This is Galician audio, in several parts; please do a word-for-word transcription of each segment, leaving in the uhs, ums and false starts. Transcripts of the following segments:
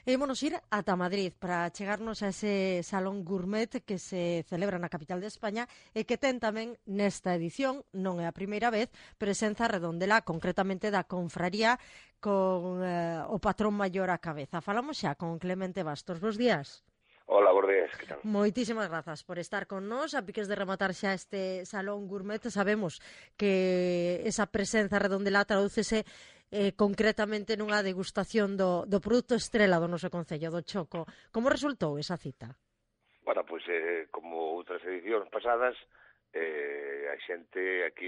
E ímonos ir ata Madrid para chegarnos a ese Salón Gourmet que se celebra na capital de España e que ten tamén nesta edición, non é a primeira vez, presenza redondela concretamente da confraría con eh, o patrón maior á cabeza. Falamos xa con Clemente Bastos. Bos días. Hola, bos días, que tal? Moitísimas grazas por estar con nós. A piques de rematar xa este Salón Gourmet, sabemos que esa presenza redondela tradúcese eh, concretamente nunha degustación do, do produto estrela do noso concello, do choco. Como resultou esa cita? Bueno, pois, eh, como outras edicións pasadas, eh, a xente aquí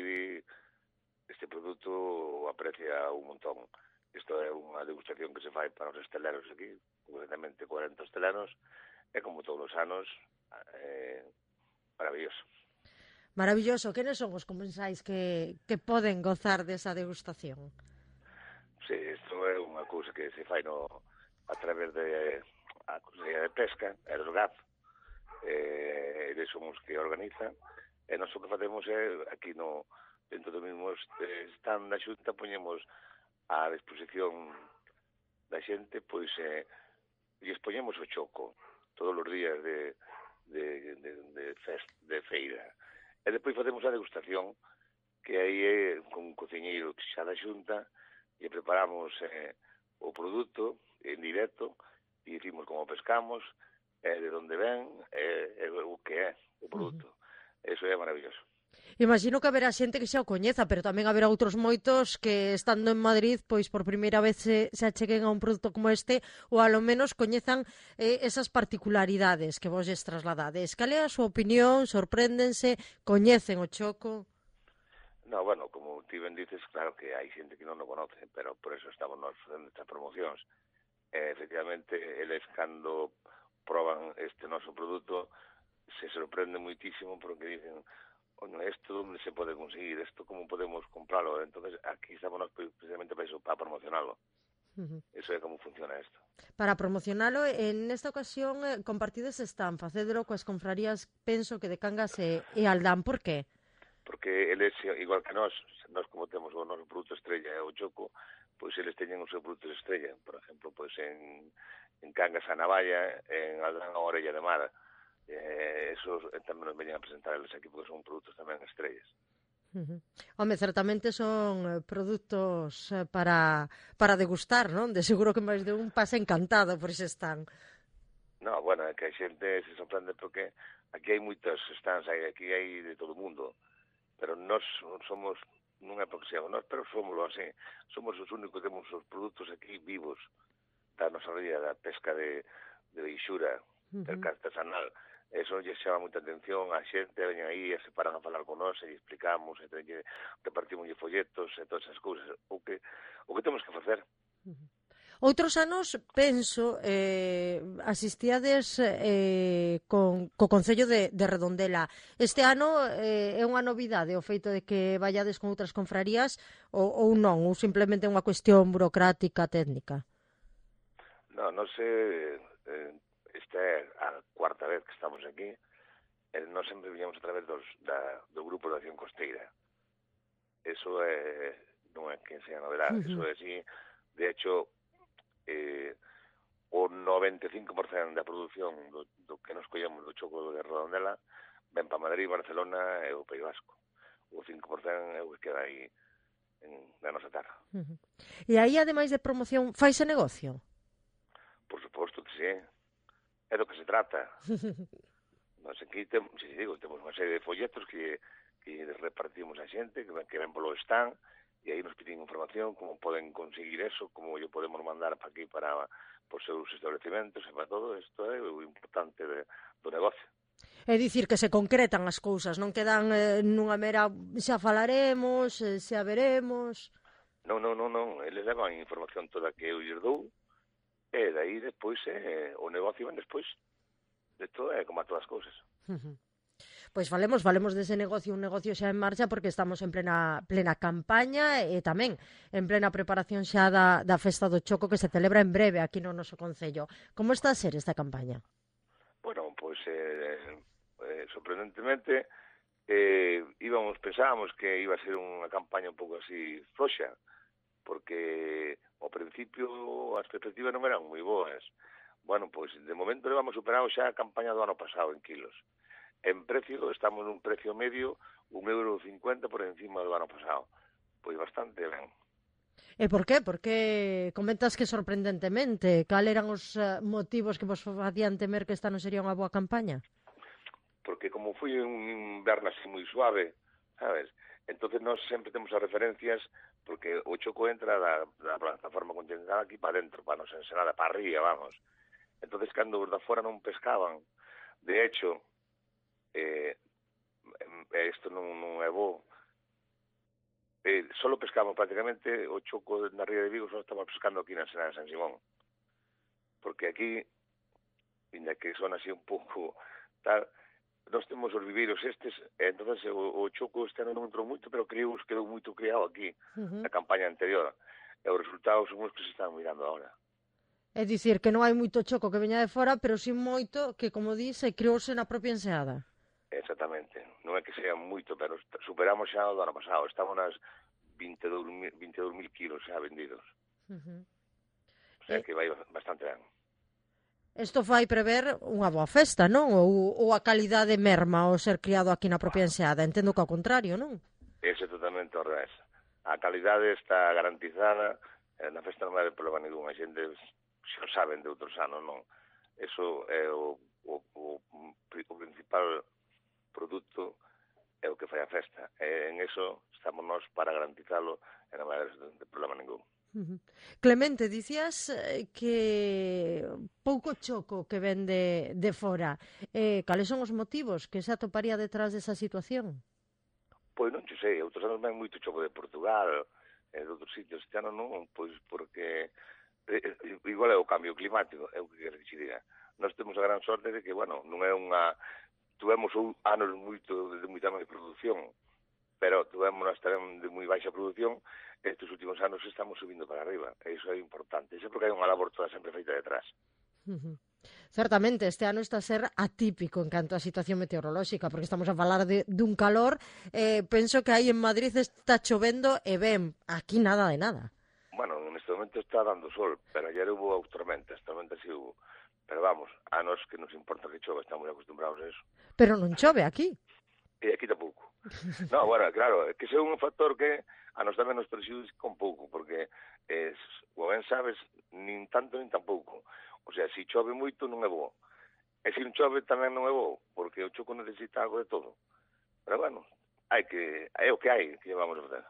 este produto aprecia un montón. Isto é unha degustación que se fai para os estelaros aquí, concretamente cuarenta estelanos, e como todos os anos, eh, maravilloso. Maravilloso. Quenes son os comensais que, que poden gozar desa degustación? Sí, isto é unha cousa que se fai no, a través de a Consellería de Pesca, e do G A F, eh, eles somos que organizan, e nós o que facemos é, aquí no, dentro do mesmo stand da Xunta, poñemos a disposición da xente, pois, eh, e expoñemos o choco todos os días de, de, de, de, fest, de feira. E depois facemos a degustación, que aí é con un cociñeiro xa da Xunta, e preparamos eh, o produto en directo, e dicimos como pescamos, e de onde ven, e, e o que é o produto. Uh-huh. Eso é maravilloso. Imagino que haberá xente que xa o coñeza, pero tamén haberá outros moitos que, estando en Madrid, pois por primeira vez se, se acheguen a un produto como este, ou alo menos coñezan eh, esas particularidades que vos lles trasladades. Cal é a súa opinión? Sorpréndense? Coñecen o choco? No, bueno, como ti ben dices, claro que hai xente que non o conoce, pero por eso estamos nós facendo estas promocións. Eh, efectivamente, eles cando proban este noso produto se sorprenden moitísimo porque dicen, bueno, isto onde se pode conseguir, isto como podemos compralo. Entonces aquí estamos nós precisamente para eso, para promocionalo. Uh-huh. Eso é como funciona isto. Para promocionalo, en esta ocasión eh, compartides están, facédelo coas confrarías, penso que de Cangas e, e Aldán. Por qué? Porque eles, igual que nós, nós como temos o noso produto estrella e o choco, pois eles teñen o seu produto estrella. Por exemplo, pois en, en Cangas a Navalla, en Aldán a Orella de Mar. Eh, esos tamén nos veñen a presentar eles aquí, porque son produtos tamén estrellas. Uh-huh. Home, certamente son produtos para, para degustar, non? De seguro que máis de un pasa encantado por ese stand. No, bueno, é que a xente se sorprende porque aquí hai moitos stands, aquí hai de todo o mundo, pero nós somos, non é porque seamos nós, pero somos así, somos os únicos que temos os produtos aquí vivos da nosa ría, da pesca de, de Beixura, uh-huh, del artesanal. Eso lle chama moita atención, a xente veñen aí e se paran a falar con nós e explicamos, e teñe, repartimos folletos e todas esas cousas, o que, o que temos que facer. Uh-huh. Outros anos, penso, eh, asistíades eh, con, co Concello de, de Redondela. Este ano eh, é unha novidade o feito de que vallades con outras confrarías ou, ou non, ou simplemente unha cuestión burocrática, técnica? Non, non sei, eh, esta é a cuarta vez que estamos aquí, e nós sempre viñamos a través dos, da, do Grupo de Acción Costeira. Eso é, non é que sea novedade, uh-huh, eso é así. De hecho, eh, o noventa e cinco por cento da produción do, do que nos collemos do choco de Redondela ven para Madrid, Barcelona e o País Vasco. O cinco por cento é o que queda aí en, na nosa terra. Uh-huh. E aí, ademais de promoción, faise negocio? Por suposto que sí. É do que se trata. Nos aquí temos, si digo, temos unha serie de folletos que, que repartimos a xente, que ven, que ven polo stand, e aí nos piden información, como poden conseguir eso, como yo podemos mandar para aquí, para os seus establecimentos, e para todo isto é o importante de, do negocio. É dicir, que se concretan as cousas, non quedan eh, nunha mera xa falaremos, eh, xa veremos... Non, non, non, non, eles levan a información toda que eu lles dou, e daí despois eh, o negocio ven despois. De todo é como a todas as cousas. Uh-huh. Pois falemos, falemos dese negocio, un negocio xa en marcha, porque estamos en plena plena campaña e tamén en plena preparación xa da, da Festa do Choco que se celebra en breve aquí no noso concello. Como está a ser esta campaña? Bueno, pois eh, eh, sorprendentemente eh, íbamos, pensábamos que iba a ser unha campaña un pouco así floxa, porque ao principio as perspectivas non eran moi boas. Bueno, pois de momento levamos superado xa a campaña do ano pasado en kilos. En precio, estamos nun precio medio un euro cincuenta por encima do ano pasado. Pois bastante ben. E por qué? Porque comentas que sorprendentemente. Cal eran os uh, motivos que vos facían temer que esta non sería unha boa campaña? Porque como foi un inverno así moi suave, sabes? Entonces nós sempre temos as referencias porque o choco entra da, da plataforma continental aquí para dentro, para nos ensenada, para arriba, vamos. Entonces, cando os da fora non pescaban, de hecho, eh, isto non, non é bo, eh, solo pescamos prácticamente o choco na ría de Vigo, só estamos pescando aquí na Ensenada de San Simón. Porque aquí, ainda que son así un pouco tal, nós temos os viveiros estes, e entonces o, o choco este ano non entrou moito, pero creio que quedou moito criado aquí, uh-huh. na campaña anterior. E os resultados son os que se están mirando agora. É dicir, que non hai moito choco que veña de fora, pero sí moito que, como dice, creouse na propia enseada. Exactamente. Non é que sea moito, pero superamos xa o do ano pasado. Estamos nas vinte e dous mil kilos xa vendidos. Uh-huh. O sea, eh... que vai bastante ben. Isto fai prever unha boa festa, non? Ou, ou a calidade merma ao ser criado aquí na propia enseada? Entendo que ao contrario, non? Ese totalmente ao revés. A calidade está garantizada, na festa non vai haber problema ningún. A xente xa o saben de outros anos, non? Eso é o, o, o, o principal produto, é o que fai a festa. E en eso estamos nós para garantizalo e non vai haber problema ningún. Uh-huh. Clemente, dicías que pouco choco que ven de, de fora. Eh, cales son os motivos que se atoparía detrás desa situación? Pois non sei, outros anos ven moito choco de Portugal, e de outros sitios. Este ano non, pois porque igual é o cambio climático, é o que quero que diga. Nós temos a gran sorte de que, bueno, non é unha... Tuvemos anos moito de moita máis produción, pero tuvemos tamén de moi baixa produción, e estes últimos anos estamos subindo para arriba, e iso é importante. Iso é porque hai unha labor toda sempre feita detrás. Uh-huh. Certamente, este ano está a ser atípico en canto á situación meteorolóxica, porque estamos a falar de, dun calor, eh, penso que aí en Madrid está chovendo e ben, aquí nada de nada. Bueno, en este momento está dando sol, pero ayer hubo tormentas, tormentas sí hubo. Pero vamos, a nos que nos importa que chove, estamos acostumbrados a eso. Pero non chove aquí. E aquí tampouco. No, bueno, claro, é que é un factor que a nos tamén nos perxudica un pouco, porque, es, como ben sabes, nin tanto nin tampouco. O sea, se chove moito non é bo. E se non chove tamén non é bo, porque o choco necesita algo de todo. Pero bueno, hai que, é o que hai, que vamos a fazer.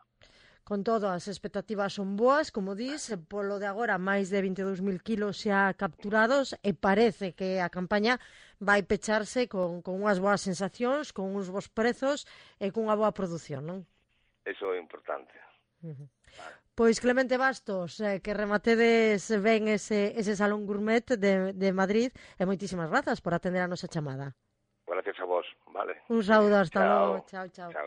Con todo, as expectativas son boas, como dis, polo de agora máis de vinte e dous mil kilos xa capturados e parece que a campaña vai pecharse con, con unhas boas sensacións, con uns bons prezos e con unha boa produción, non? Eso é importante. Uh-huh. Pois Clemente Bastos, eh, que rematedes ben ese, ese Salón Gourmet de, de Madrid e moitísimas grazas por atender a nosa chamada. Gracias a vos, vale. Un saúdo, hasta logo. Chao, chao. Chao, chao.